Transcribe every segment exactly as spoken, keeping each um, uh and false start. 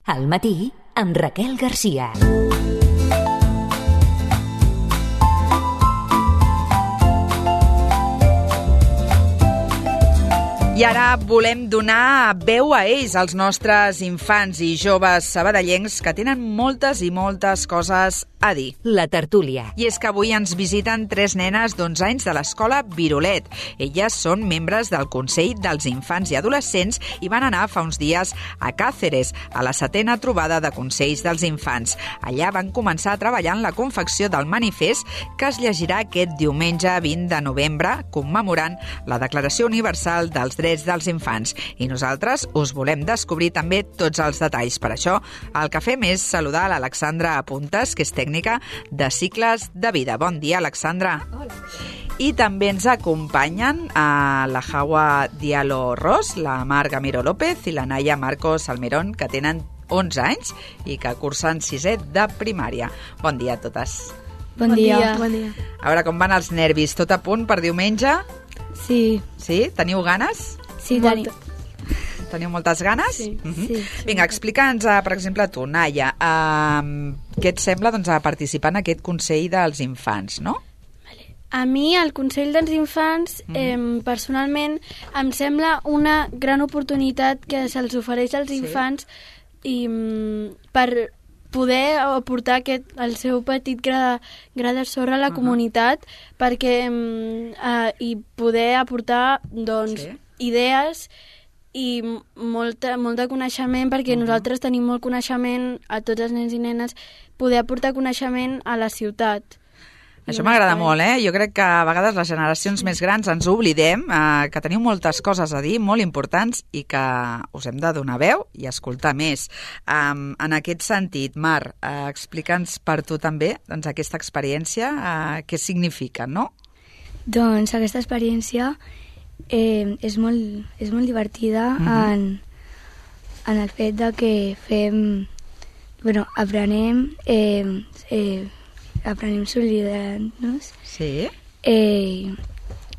Al matí, amb Raquel Garcia. I ara volem donar veu a ells, als nostres infants i joves sabadellencs que tenen moltes i moltes coses a dir. La tertúlia. I és que avui ens visiten tres nenes d'onze anys de l'escola Virolet. Elles són membres del Consell dels Infants i Adolescents i van anar fa uns dies a Càceres, a la setena trobada de Consells dels Infants. Allà van començar a treballar en la confecció del manifest que es llegirà aquest diumenge vint de novembre, commemorant la Declaració Universal dels Drets dels Infants. I nosaltres us volem descobrir també tots els detalls. Per això, el que fem és saludar l'Alexandra Puntes, que és tècnica de cicles de vida. Bon dia, Alexandra. Hola. I també ens acompanyen a la Jaua Diallo Ros, la Mar Gamiro López i la Naya Marcos Almerón, que tenen onze anys i que cursen sisè de primària. Bon dia a totes. Bon, bon dia. dia. Bon dia. A veure com van els nervis. Tot a punt per diumenge? Sí. Sí? Teniu ganes? Sí, tenim. Teniu moltes ganes? Sí. Uh-huh. sí, sí. Vinga, explica'ns, per exemple, tu, Naya, uh, què et sembla doncs, a participar en aquest Consell dels Infants, no? A mi, el Consell dels Infants, mm. eh, personalment, em sembla una gran oportunitat que se'ls ofereix als sí. infants i, mm, per poder aportar aquest, el seu petit gra, gra de sorra a la uh-huh. comunitat perquè mm, eh, i poder aportar doncs, sí. idees i molta, molt de coneixement, perquè uh-huh. nosaltres tenim molt coneixement, a tots els nens i nenes, poder aportar coneixement a la ciutat. Això m'agrada molt, eh? Jo crec que a vegades les generacions sí. més grans ens oblidem eh, que teniu moltes coses a dir, molt importants, i que us hem de donar veu i escoltar més. Um, en aquest sentit, Mar, eh, explica'ns per tu també doncs, aquesta experiència, eh, què significa, no? Doncs aquesta experiència eh, és, molt, és molt divertida uh-huh. en, en el fet de que fem, bueno, aprenem eh, eh, aprenem solidaritat-nos sí. eh,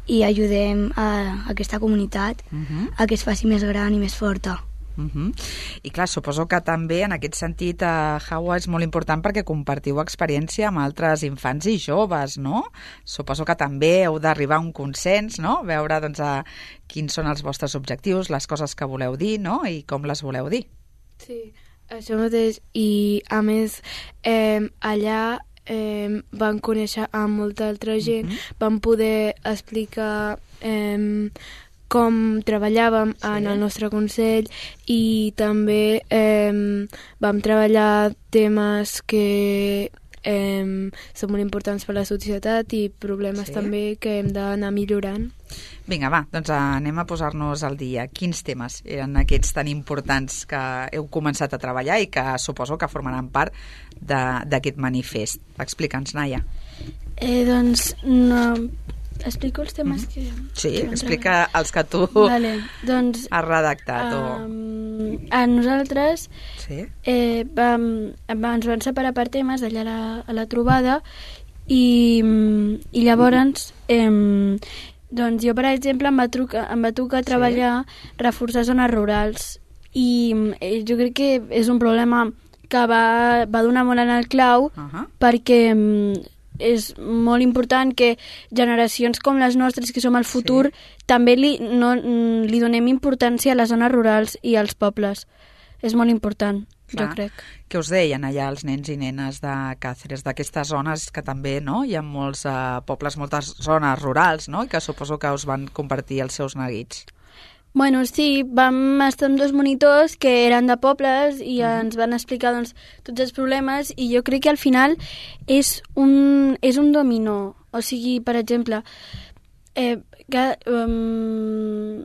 i ajudem a, a aquesta comunitat uh-huh. a que es faci més gran i més forta. Uh-huh. I clar, suposo que també en aquest sentit a Jaua és molt important perquè compartiu experiència amb altres infants i joves, no? Suposo que també heu d'arribar a un consens, no? Veure doncs, a quins són els vostres objectius, les coses que voleu dir, no? I com les voleu dir. Sí, això mateix. I a més, eh, allà eh, vam conèixer a molta altra gent, uh-huh. vam poder explicar eh, com treballàvem sí. en el nostre consell i també eh, vam treballar temes que eh, són molt importants per a la societat i problemes sí. també que hem d'anar millorant. Vinga, va, doncs anem a posar-nos al dia. Quins temes eren aquests tan importants que heu començat a treballar i que suposo que formaran part d'aquest manifest? Explica'ns, Naya. Eh, doncs, no... Explico els temes mm-hmm. que... Sí, que explica treballar. Els que tu vale, doncs, has redactat. Um, o... A nosaltres sí. eh, vam, ens van separar per temes allà a la, a la trobada i, i llavors eh, doncs jo, per exemple, em va, trucar, em va tocar treballar sí. reforçar zones rurals i eh, jo crec que és un problema que va, va donar molt en el clau uh-huh. perquè és molt important que generacions com les nostres, que som el futur, sí. també li, no, li donem importància a les zones rurals i als pobles. És molt important, clar. Jo crec. Què us deien allà els nens i nenes de Càceres, d'aquestes zones que també no? Hi ha molts uh, pobles, moltes zones rurals, no? I que suposo que us van compartir els seus neguits. Bueno, sí, vam estar amb dos monitors que eren de pobles i mm. ens van explicar doncs, tots els problemes i jo crec que al final és un, és un dominó. O sigui, per exemple, eh, cada, um,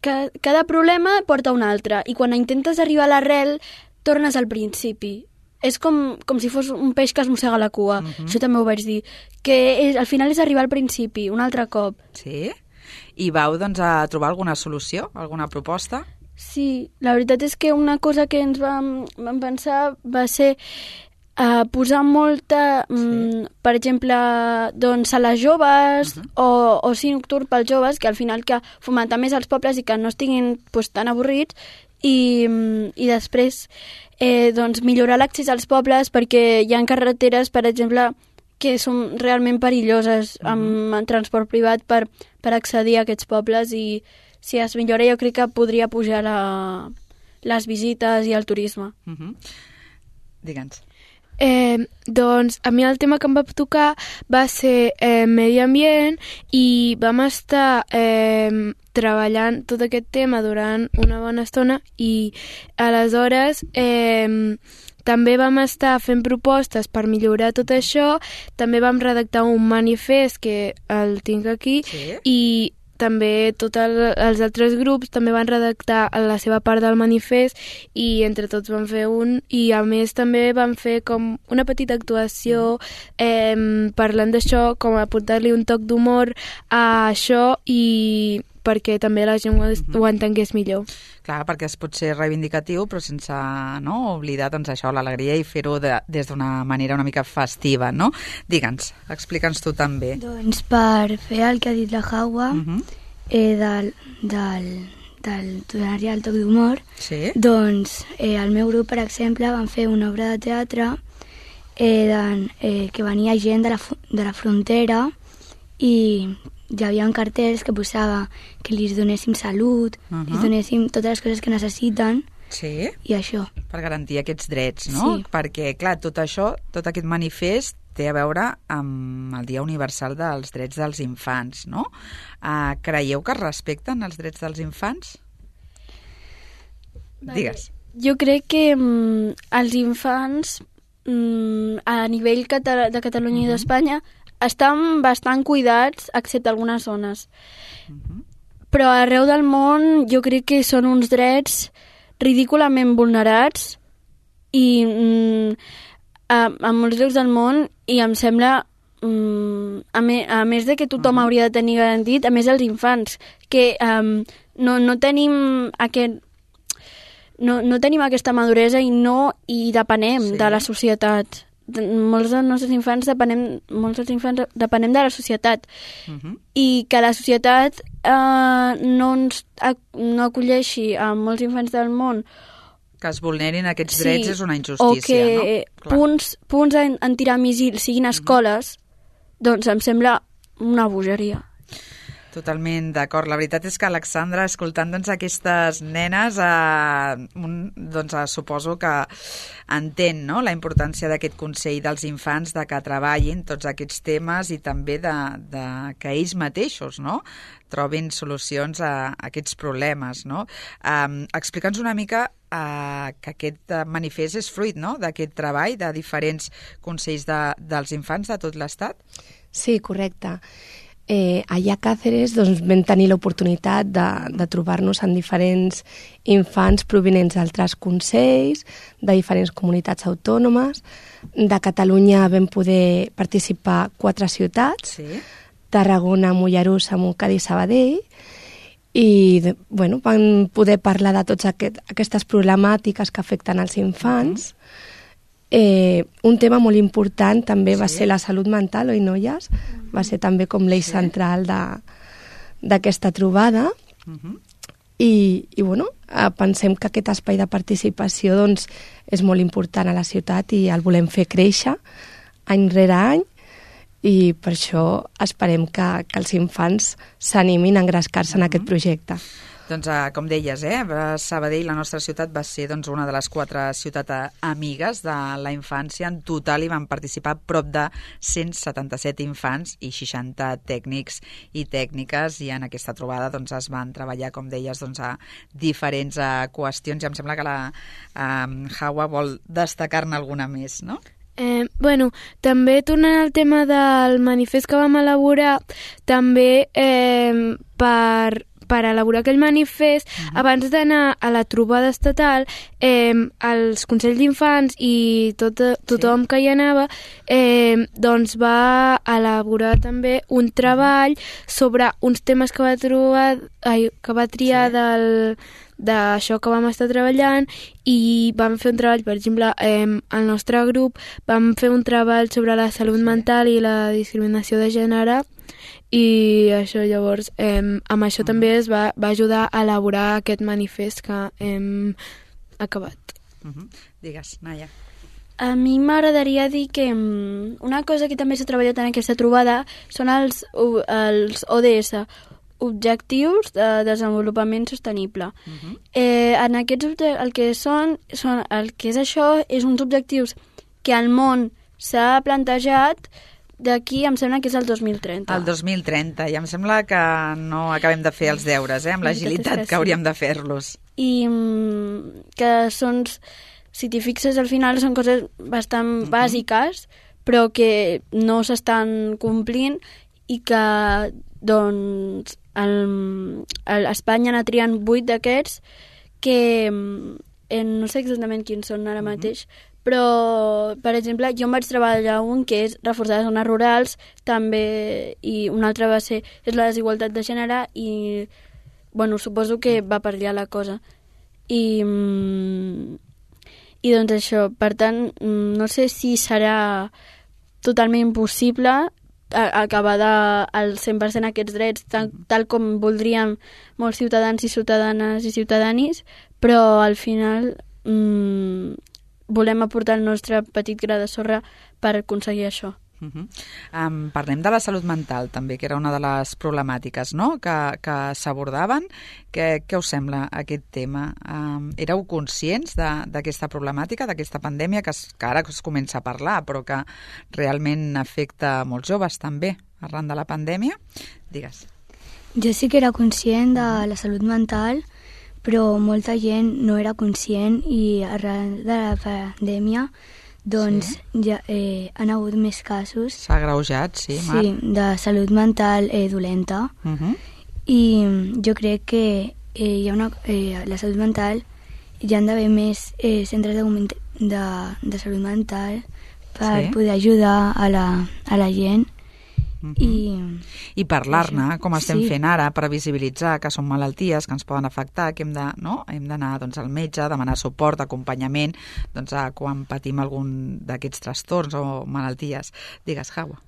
cada, cada problema porta un altre i quan intentes arribar a l'arrel tornes al principi. És com, com si fos un peix que es mossega la cua. Mm-hmm. Això també ho vaig dir. Que és, al final és arribar al principi, un altre cop. Sí? I vau doncs, a trobar alguna solució, alguna proposta? Sí, la veritat és que una cosa que ens vam, vam pensar va ser uh, posar molta, sí. um, per exemple, doncs a les joves uh-huh. o, o sí nocturn pels joves, que al final que fomentar més els pobles i que no estiguin pues, tan avorrits i, i després eh, doncs millorar l'accés als pobles, perquè hi ha carreteres, per exemple, que són realment perilloses amb, amb transport privat per, per accedir a aquests pobles, i si es millora jo crec que podria pujar la, les visites i el turisme. Uh-huh. Digue'ns. Eh, doncs a mi el tema que em va tocar va ser eh, medi ambient, i vam estar eh, treballant tot aquest tema durant una bona estona, i aleshores eh, també vam estar fent propostes per millorar tot això. També vam redactar un manifest que el tinc aquí, sí. I també tots el, els altres grups també van redactar la seva part del manifest, i entre tots vam fer un, i a més també vam fer com una petita actuació eh, parlant d'això, com aportar-li un toc d'humor a això, i perquè també la gent ho, ho entengués millor. Clar, perquè es pot ser reivindicatiu, però sense no, oblidar doncs, això, l'alegria, i fer-ho de, des d'una manera una mica festiva, no? Digue'ns, explica'ns tu també. Doncs per fer el que ha dit la Hawa, uh -huh. eh, del, del, del donar-hi el toc d'humor, sí. Doncs eh, el meu grup, per exemple, van fer una obra de teatre eh, de, eh, que venia gent de la, de la frontera, i hi havia cartells que posava que li donéssim salut, uh-huh. li donéssim totes les coses que necessiten, sí. I això. Per garantir aquests drets, no? Sí. Perquè, clar, tot això, tot aquest manifest té a veure amb el Dia Universal dels Drets dels Infants, no? Uh, creieu que es respecten els drets dels infants? Vale. Digues. Jo crec que mm, els infants mm, a nivell cata- de Catalunya uh-huh. i d'Espanya estan bastant cuidats, excepte algunes zones. Uh-huh. Però arreu del món jo crec que són uns drets ridículament vulnerats, i mm, a, a molts llocs del món, i em sembla, mm, a, me, a més de que tothom uh-huh. hauria de tenir garantit, a més els infants, que um, no, no tenim aquest... No, no tenim aquesta maduresa, i no hi depenem sí. de la societat. Molts dels nostres infants depenem, molts dels infants depenem de la societat, uh-huh. i que la societat eh, no ens no acolleixi a molts infants del món, que es vulnerin aquests sí, drets, és una injustícia, o que no? punts, punts en, en tirar míssils siguin escoles, uh-huh. doncs em sembla una bogeria. Totalment d'acord. La veritat és que, Alexandra, escoltant doncs, aquestes nenes, eh, un, doncs, eh, suposo que entén no? la importància d'aquest Consell dels Infants, de que treballin tots aquests temes, i també de, de que ells mateixos no? trobin solucions a, a aquests problemes. No? Eh, Explica'ns una mica eh, que aquest manifest és fruit no? d'aquest treball de diferents consells de, dels infants de tot l'Estat. Sí, correcte. Eh, allà a Càceres doncs, vam tenir l'oportunitat de, de trobar-nos amb diferents infants provinents d'altres consells, de diferents comunitats autònomes. De Catalunya vam poder participar quatre ciutats, sí. Tarragona, Mollerussa, Montcada i Sabadell, i bueno, vam poder parlar de totes aquest, aquestes problemàtiques que afecten els infants. Uh-huh. Eh, un tema molt important també sí. va ser la salut mental, oi, noies? Va ser també com l'eix sí. central d'aquesta trobada. Uh-huh. I, i bueno, pensem que aquest espai de participació doncs, és molt important a la ciutat, i el volem fer créixer any rere any, i per això esperem que, que els infants s'animin a engrescar-se uh-huh. en aquest projecte. Doncs, eh, com deies, eh, Sabadell, la nostra ciutat, va ser doncs, una de les quatre ciutats amigues de la infància. En total hi van participar prop de cent setanta-set infants i seixanta tècnics i tècniques, i en aquesta trobada doncs, es van treballar, com deies, doncs, a diferents eh, qüestions, i em sembla que la eh, Hawa vol destacar-ne alguna més, no? Eh, bueno, també tornant al tema del manifest que vam elaborar, també eh, per... per elaborar aquell manifest, uh-huh. abans d'anar a la trobada estatal, eh, els Consells d'Infants i tot, tothom sí. que hi anava, eh, doncs va elaborar també un treball sobre uns temes que va, trobar, ai, que va triar sí. del d'això que vam estar treballant, i vam fer un treball, per exemple, eh, el nostre grup vam fer un treball sobre la salut sí. mental i la discriminació de gènere, i això llavors eh, amb això també es va, va ajudar a elaborar aquest manifest que hem acabat. Uh-huh. Digues, Naia. A mi m'agradaria dir que um, una cosa que també s'ha treballat en aquesta trobada són els, els O D S, Objectius de Desenvolupament Sostenible. Uh-huh. eh, en aquests el que són, són, el que és això, és uns objectius que el món s'ha plantejat d'aquí, em sembla que és el dos mil trenta. El dos mil trenta, i em sembla que no acabem de fer els deures, eh, amb l'agilitat que hauríem de fer-los. I um, que són, si t'hi fixes, al final són coses bastant uh-huh. bàsiques, però que no s'estan complint i que, doncs, el, el, Espanya n'ha triat vuit d'aquests que eh, no sé exactament quins són ara mateix, però, per exemple, jo em vaig treballar un que és reforçar les zones rurals, també, i un altre va ser és la desigualtat de gènere, i, bueno, suposo que va per allà la cosa. I, i doncs això, per tant, no sé si serà totalment impossible acabar de, al cent per cent aquests drets tal, tal com voldríem molts ciutadans i ciutadanes i ciutadanis, però al final mmm, volem aportar el nostre petit gra de sorra per aconseguir això. Uh-huh. Um, parlem de la salut mental també, que era una de les problemàtiques, no?, que, que s'abordaven. Què, què us sembla aquest tema? Um, éreu conscients d'aquesta problemàtica, d'aquesta pandèmia que, es, que ara es comença a parlar, però que realment afecta molts joves també arran de la pandèmia? Digues. Jo sí que era conscient de la salut mental, però molta gent no era conscient i arran de la pandèmia doncs sí. ja eh, han hagut més casos. S'ha agreujat, sí, Marc. Sí, de salut mental eh, dolenta. Uh-huh. I jo crec que eh, hi ha una, eh, la salut mental hi ha d'haver més eh, centres de, de, de salut mental per sí. poder ajudar a la, a la gent. Uh-huh. I, I parlar-ne, com estem sí. fent ara, per visibilitzar que són malalties que ens poden afectar, que hem de, no? hem d'anar doncs, al metge, demanar suport, acompanyament, doncs, a quan patim algun d'aquests trastorns o malalties. Digues, Jaua.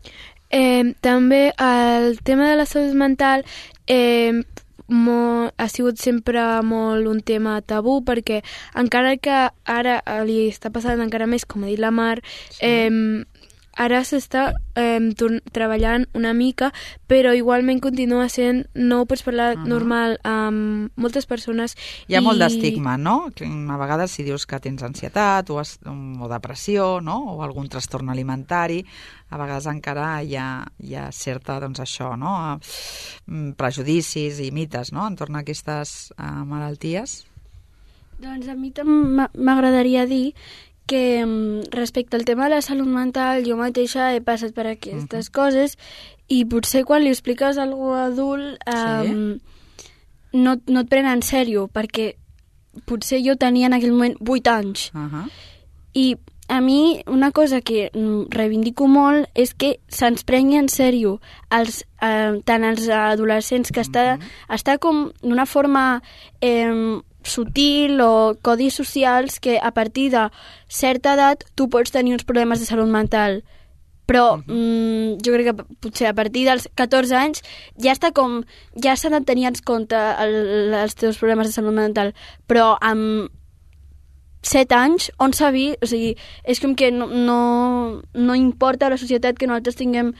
Eh, també el tema de la salut mental eh, mo, ha sigut sempre molt un tema tabú, perquè encara que ara li està passant encara més, com ha dit la Mar, sí. eh, ara s'està eh, treballant una mica, però igualment continua sent, no ho pots parlar uh-huh. normal amb moltes persones. Hi ha i... molt d'estigma, no? A vegades si dius que tens ansietat o, es, o depressió, no? O algun trastorn alimentari, a vegades encara hi ha, hi ha certa, doncs això, no? Prejudicis i mites, no?, entorn a aquestes uh, malalties. Doncs a mi també m'agradaria dir que respecte al tema de la salut mental jo mateixa he passat per aquestes uh-huh. coses i potser quan li expliques a algú adult um, sí. no, no et prenen en sèrio, perquè potser jo tenia en aquell moment vuit anys uh-huh. i a mi una cosa que reivindico molt és que se'ns prengui en sèrio els, eh, tant els adolescents, que uh-huh. està, està com d'una forma eh, sutil o codis socials que a partir de certa edat tu pots tenir uns problemes de salut mental, però uh-huh. mm, jo crec que potser a partir dels catorze anys ja està com, ja s'han de tenir en compte el, els teus problemes de salut mental, però amb set anys, on s'ha vist? O sigui, és com que no, no, no importa a la societat que nosaltres tinguem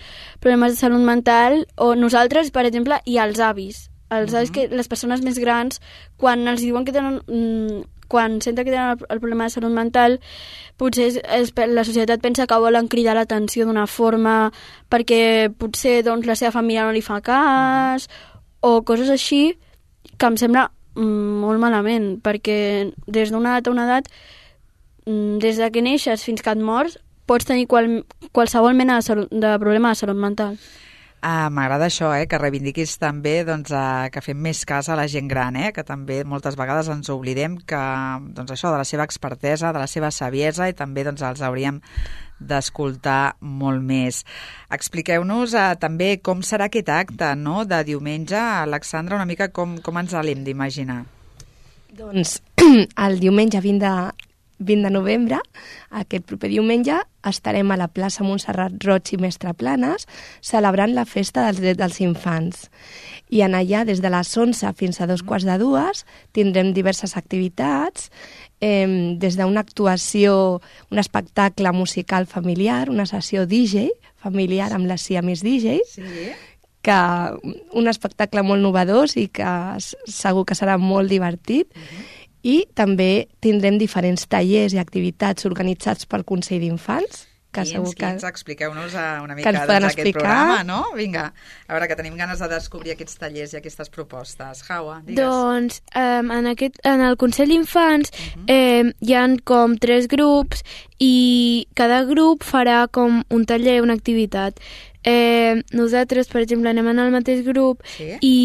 problemes de salut mental, o nosaltres, per exemple, i els avis. Els uh-huh. avis que les persones més grans, quan els diuen que tenen... Mm, quan senten que tenen el, el problema de salut mental, potser és, és, la societat pensa que volen cridar l'atenció d'una forma perquè potser doncs, la seva família no li fa cas, uh-huh. o coses així, que em sembla molt malament, perquè des d'una edat a una edat, des de que neixes fins que et mors, pots tenir qual, qualsevol mena de, salut, de problema de salut mental. Ah, m'agrada això, eh, que reivindiquis també doncs, a, que fem més cas a la gent gran, eh, que també moltes vegades ens oblidem que, doncs, això, de la seva expertesa, de la seva saviesa, i també doncs, els hauríem d'escoltar molt més. Expliqueu-nos eh, també com serà aquest acte, no?, de diumenge. Alexandra, una mica com, com ens l'hem d'imaginar. Doncs el diumenge vint de vint de novembre, aquest proper diumenge, estarem a la plaça Montserrat Roig i Mestre Planes celebrant la festa dels drets dels infants. I en allà, des de les onze fins a dos quarts de dues, tindrem diverses activitats, eh, des d'una actuació, un espectacle musical familiar, una sessió D J familiar amb les Siamese D J, sí. que un espectacle molt novedós i que segur que serà molt divertit. Uh-huh. I també tindrem diferents tallers i activitats organitzats pel Consell d'Infants. Que quins, segur que, quins, expliqueu-nos una mica d'aquest programa, no? Vinga, a veure, que tenim ganes de descobrir aquests tallers i aquestes propostes. Jaua, digues. Doncs um, en, aquest, en el Consell d'Infants uh-huh. eh, hi ha com tres grups i cada grup farà com un taller, una activitat. Eh, nosaltres, per exemple, anem en el mateix grup sí? i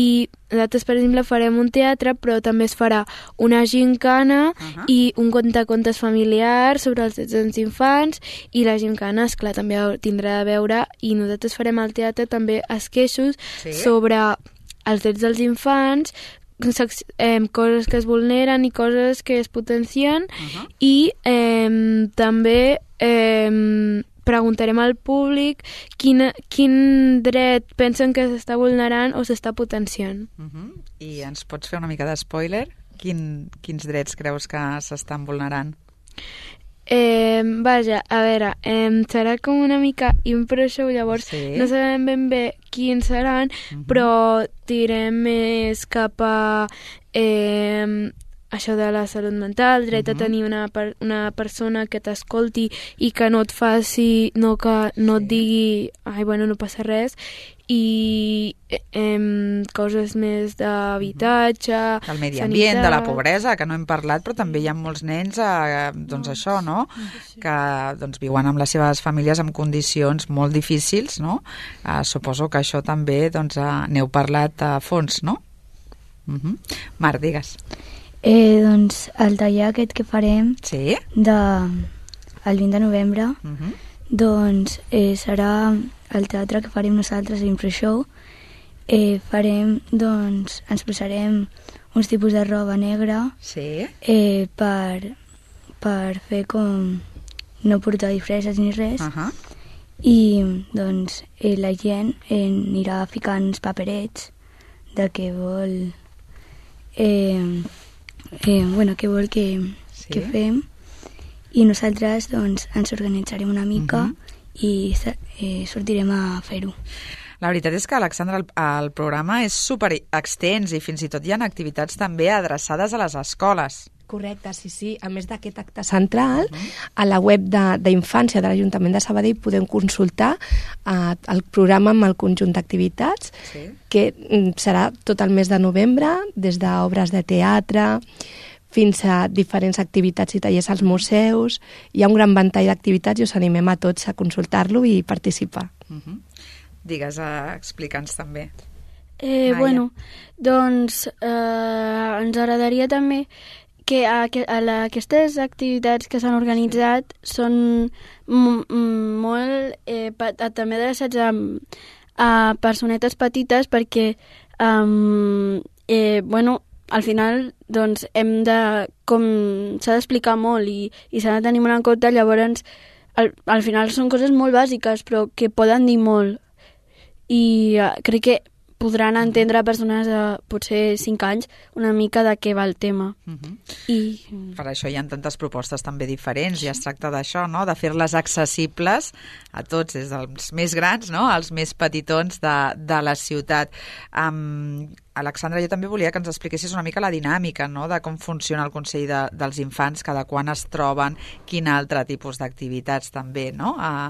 nosaltres, per exemple, farem un teatre, però també es farà una gincana uh-huh. i un contacontes familiar sobre els drets dels infants, i la gincana, esclar, també tindrà de veure, i nosaltres farem al teatre també esqueixos sí? sobre els drets dels infants, eh, coses que es vulneren i coses que es potencien, uh-huh. i eh, també eh, preguntarem al públic quin, quin dret pensen que s'està vulnerant o s'està potenciant. Uh-huh. I ens pots fer una mica de spoiler? Quin, quins drets creus que s'estan vulnerant? Eh, vaja, a veure, eh, serà com una mica impro show, llavors sí. no sabem ben bé quins seran, uh-huh. però tirem més cap a eh, això de la salut mental, dret uh-huh. a tenir una, per, una persona que t'escolti i que no et faci, no, que no sí. et digui, ai, bueno, no passa res, i eh, coses més d'habitatge, del medi ambient, de la pobresa, que no hem parlat, però també hi ha molts nens, eh, doncs això, no?, que doncs, viuen amb les seves famílies en condicions molt difícils, no? Eh, suposo que això també, doncs, eh, n'heu parlat a fons, no? Uh-huh. Marc, digues. Eh, doncs el taller aquest que farem sí? de, el vint de novembre uh-huh. doncs eh, serà el teatre que farem nosaltres, l'Impro Show. Eh, farem, doncs, ens posarem uns tipus de roba negra sí? eh, per, per fer com no portar disfresses ni res uh-huh. i doncs eh, la gent eh, anirà ficant paperets de què vol eh, Eh, bueno, què vol que, sí? que fem, i nosaltres doncs, ens organitzarem una mica uh-huh. i eh, sortirem a fer-ho. La veritat és que, Alexandra, el, el programa és super extens i fins i tot hi ha activitats també adreçades a les escoles. Correcte, sí, sí. A més d'aquest acte central, uh-huh. a la web d'Infància de, de l'Ajuntament de Sabadell podem consultar eh, el programa amb el conjunt d'activitats, sí. que serà tot el mes de novembre, des d'obres de teatre fins a diferents activitats i tallers als museus. Hi ha un gran ventall d'activitats i us animem a tots a consultar-lo i participar. Uh-huh. Digues, uh, explica'ns també. Eh, bueno, doncs eh, ens agradaria també que a, a la, aquestes activitats que s'han organitzat són m- m- molt eh, pa, també adreçats a, a personetes petites perquè um, eh, bueno, al final doncs, hem de, com s'ha d'explicar molt i, i s'ha de tenir molt en compte, llavors al, al final són coses molt bàsiques però que poden dir molt i uh, crec que podran entendre persones de potser cinc anys una mica de què va el tema. Uh-huh. I... Per això hi ha tantes propostes també diferents, i es tracta d'això, no?, de fer-les accessibles a tots, des dels més grans, no?, als més petitons de, de la ciutat. Um, Alexandra, jo també volia que ens expliquessis una mica la dinàmica, no?, de com funciona el Consell de, dels Infants, cada quan es troben, quin altre tipus d'activitats també, no? Uh,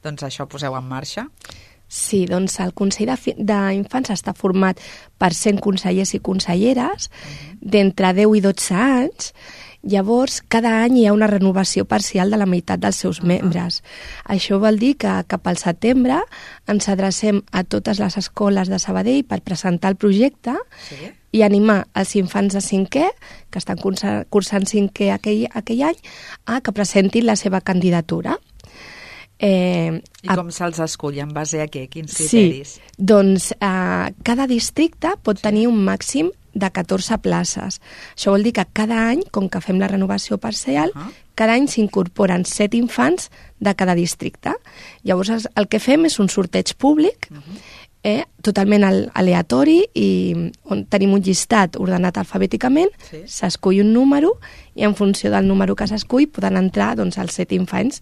doncs això poseu en marxa. Sí, doncs el Consell d'Infants està format per cent consellers i conselleres uh-huh. d'entre deu i dotze anys. Llavors, cada any hi ha una renovació parcial de la meitat dels seus uh-huh. membres. Això vol dir que cap al setembre ens adrecem a totes les escoles de Sabadell per presentar el projecte sí? i animar els infants de cinquè, que estan cursant cinquè aquell, aquell any, a que presentin la seva candidatura. Eh, I com a... se'ls escull? En base a què? Quins criteris? Sí, doncs eh, cada districte pot sí. tenir un màxim de catorze places. Això vol dir que cada any, com que fem la renovació parcial, uh -huh. cada any s'incorporen set infants de cada districte. Llavors, el que fem és un sorteig públic, uh -huh. eh, totalment aleatori, i on tenim un llistat ordenat alfabèticament, s'escull sí. un número, i en funció del número que s'escull poden entrar doncs, els set infants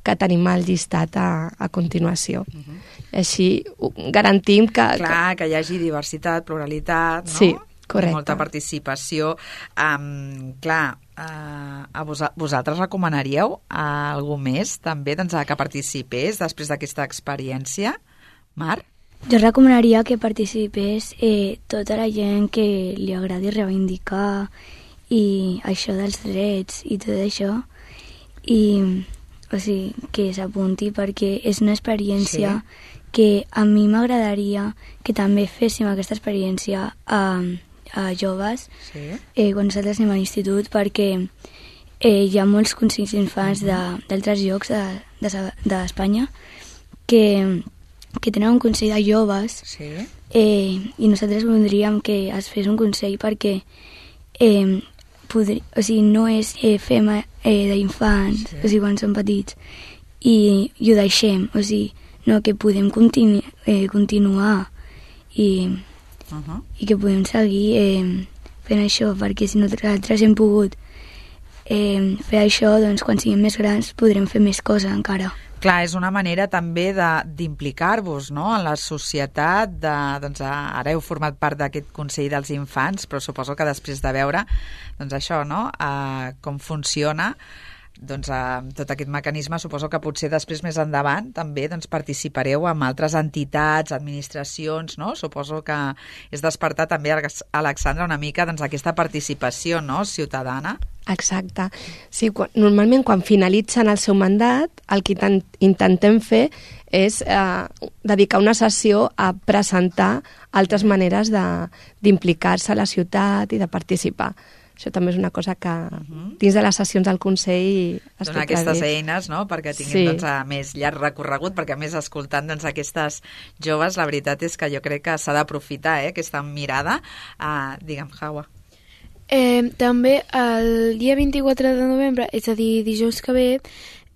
que tenim al llistat a, a continuació. Uh -huh. Així garantim que... Clar, que hi hagi diversitat, pluralitat, no? Sí, correcte. Molta participació. Um, clar, uh, a vos, vosaltres recomanaríeu a algú més també doncs, que participés després d'aquesta experiència? Mar? Jo recomanaria que participés eh, tota la gent que li agradi reivindicar i això dels drets i tot això, i o sigui, que s'apunti perquè és una experiència sí. que a mi m'agradaria que també féssim aquesta experiència a, a joves sí. eh, quan nosaltres anem a l'institut, perquè eh, hi ha molts consells d'infants d'altres llocs d'Espanya de, de que, que tenen un consell de joves sí. eh, i nosaltres voldríem que es fes un consell perquè eh, podri, o sigui, no és eh, fem eh, d'infants, sí. o sigui, quan són petits, i, i ho deixem, o sigui, no, que podem continu, eh, continuar i, uh -huh. i que podem seguir eh, fent això, perquè si nosaltres hem pogut eh, fer això, doncs quan siguem més grans podrem fer més coses encara. Clar, és una manera també d'implicar-vos, no?, en la societat. De, doncs, ara heu format part d'aquest Consell dels Infants, però suposo que després de veure doncs, això, no?, uh, com funciona doncs, uh, tot aquest mecanisme, suposo que potser després més endavant també doncs, participareu amb altres entitats, administracions, no? Suposo que és despertar també, Alexandra, una mica doncs, aquesta participació, no?, ciutadana. Exacte. Sí, quan, normalment quan finalitzen el seu mandat el que intentem fer és eh, dedicar una sessió a presentar altres maneres d'implicar-se a la ciutat i de participar. Això també és una cosa que uh-huh. dins de les sessions del Consell es Donar aquestes eines, no?, perquè tinguin sí. doncs, a més llarg recorregut, perquè a més escoltant doncs, aquestes joves, la veritat és que jo crec que s'ha d'aprofitar eh, aquesta mirada. Uh, digue'm, Hawa. Eh, també el dia vint-i-quatre de novembre, és a dir, dijous que ve,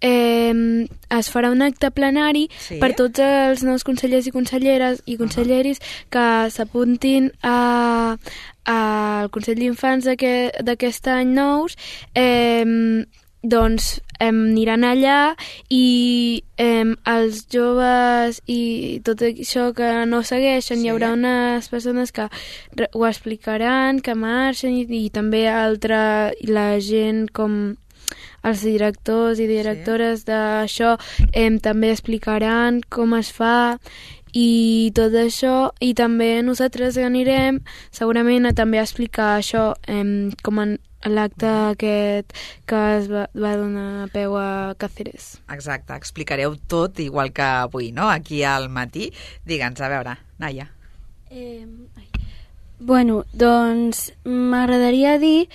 eh, es farà un acte plenari sí. per tots els nous consellers i conselleres i conselleris uh-huh. que s'apuntin a, al Consell d'Infants d'aquest any nous. Eh, doncs eh, aniran allà i eh, els joves i tot això que no segueixen, sí. hi haurà unes persones que ho explicaran, que marxen i, i també altra, la gent com els directors i directores sí. d'això eh, també explicaran com es fa i tot això, i també nosaltres anirem segurament a també explicar això eh, com en l'acte aquest que es va, va donar peu a Càceres. Exacte, explicareu tot igual que avui, no?, aquí al matí. Digue'ns, a veure, Naia. Eh, bueno, doncs m'agradaria dir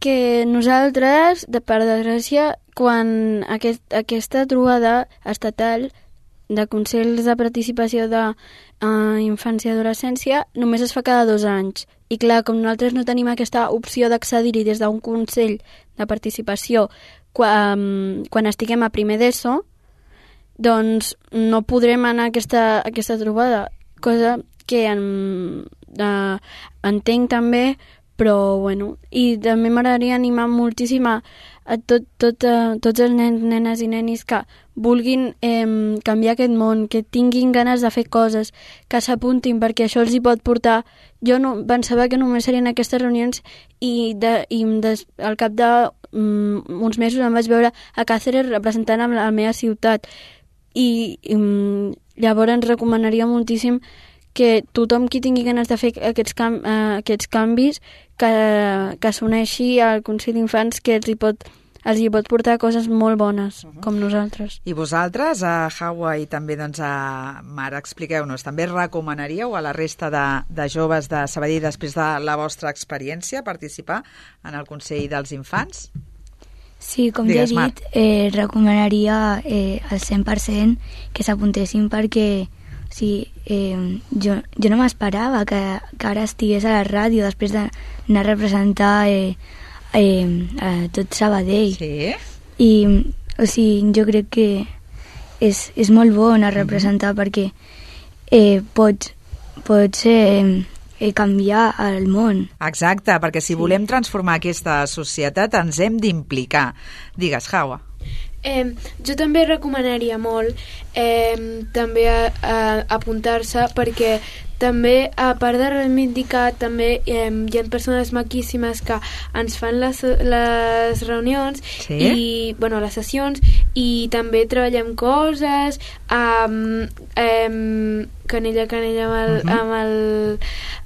que nosaltres, de per desgràcia, quan aquest, aquesta trobada estatal de consells de participació de uh, infància i adolescència només es fa cada dos anys. I clar, com nosaltres no tenim aquesta opció d'accedir-hi des d'un consell de participació quan, quan estiguem a primer d'ESO, doncs no podrem anar a aquesta, a aquesta trobada, cosa que en, uh, entenc també, però bueno, i també m'agradaria animar moltíssim a, a tot, tot, uh, tots els nens, nenes i nenis que vulguin eh, canviar aquest món, que tinguin ganes de fer coses, que s'apuntin, perquè això els hi pot portar. Jo no, pensava que només serien aquestes reunions i, de, i des, al cap de um, uns mesos em vaig veure a Càceres representant la, la meva ciutat i, i um, llavors ens recomanaria moltíssim que tothom qui tingui ganes de fer aquests, cam, uh, aquests canvis que, que s'uneixi al Consell d'Infants, que els hi pot, els hi pot portar coses molt bones, uh-huh. com nosaltres. I vosaltres, a Hawa i també doncs, a Mar, expliqueu-nos, també recomanaríeu a la resta de, de joves de Sabadell, després de la vostra experiència, participar en el Consell dels Infants? Sí, com Digues, ja he dit, eh, recomanaria eh, al cent per cent que s'apuntessin perquè sigui, eh, jo, jo no m'esperava que, que ara estigués a la ràdio després d'anar a representar eh, eh, a tot Sabadell. Sí? I, o sigui, jo crec que és, és molt bo anar a representar mm-hmm. perquè eh, pots, pots eh, eh, canviar el món. Exacte, perquè si Sí. volem transformar aquesta societat ens hem d'implicar. Digues, Hawa. Eh, jo també recomanaria molt eh, també a, a, apuntar-se, perquè també, a part de reivindicar, també eh, hi ha persones maquíssimes que ens fan les, les reunions Sí? i, bueno, les sessions, i també treballem coses amb eh, canella a canella amb el, Mhm. amb el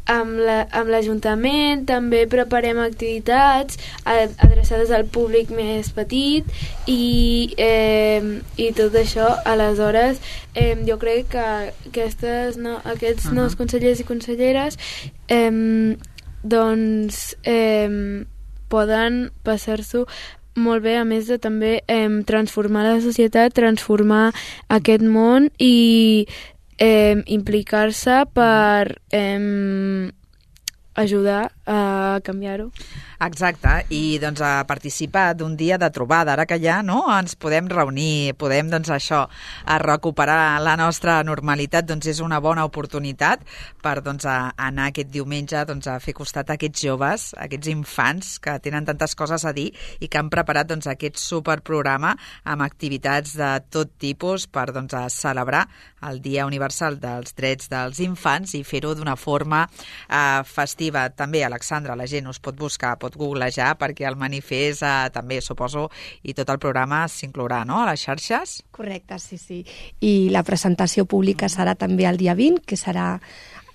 amb la- amb l'Ajuntament, també preparem activitats a- adreçades al públic més petit i, eh, i tot això. Aleshores, eh, jo crec que aquestes, no, aquests Uh-huh. nous consellers i conselleres eh, doncs eh, poden passar-s'ho molt bé, a més de també eh, transformar la societat, transformar aquest món i eh, implicar-se per eh, ajudar a canviar-ho. Exacte, i doncs a participar d'un dia de trobada, ara que ja no ens podem reunir, podem doncs això, a recuperar la nostra normalitat, doncs és una bona oportunitat per doncs a anar aquest diumenge doncs a fer costat a aquests joves, a aquests infants que tenen tantes coses a dir i que han preparat doncs aquest superprograma amb activitats de tot tipus per doncs a celebrar el Dia Universal dels Drets dels Infants i fer-ho d'una forma eh, festiva. També, Alexandra, la gent us pot buscar, pot googlejar, perquè el manifest eh, també, suposo, i tot el programa s'inclourà, no?, a les xarxes? Correcte, sí, sí. I la presentació pública serà també el dia vint, que serà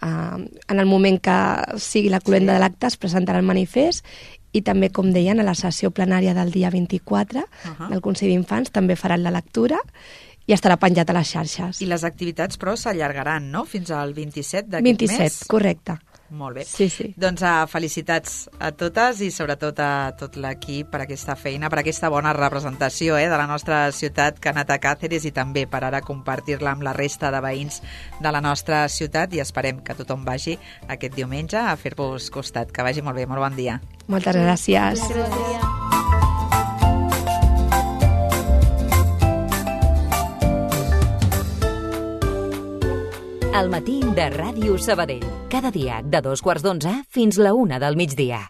eh, en el moment que sigui la cloenda Sí. de l'acte, es presentarà el manifest, i també, com deien, a la sessió plenària del dia vint-i-quatre Uh-huh. del Consell d'Infants també faran la lectura i estarà penjat a les xarxes. I les activitats, però, s'allargaran, no?, fins al vint-i-set d'aquest vint-i-set, mes? correcte. Molt bé. Sí, sí. Doncs uh, felicitats a totes i sobretot a tot l'equip per aquesta feina, per aquesta bona representació eh, de la nostra ciutat que ha anat a Càceres i també per ara compartir-la amb la resta de veïns de la nostra ciutat i esperem que tothom vagi aquest diumenge a fer-vos costat. Que vagi molt bé, molt bon dia. Moltes gràcies. El matí de Ràdio Sabadell. Cada dia de dos quarts d'onze fins la una del migdia.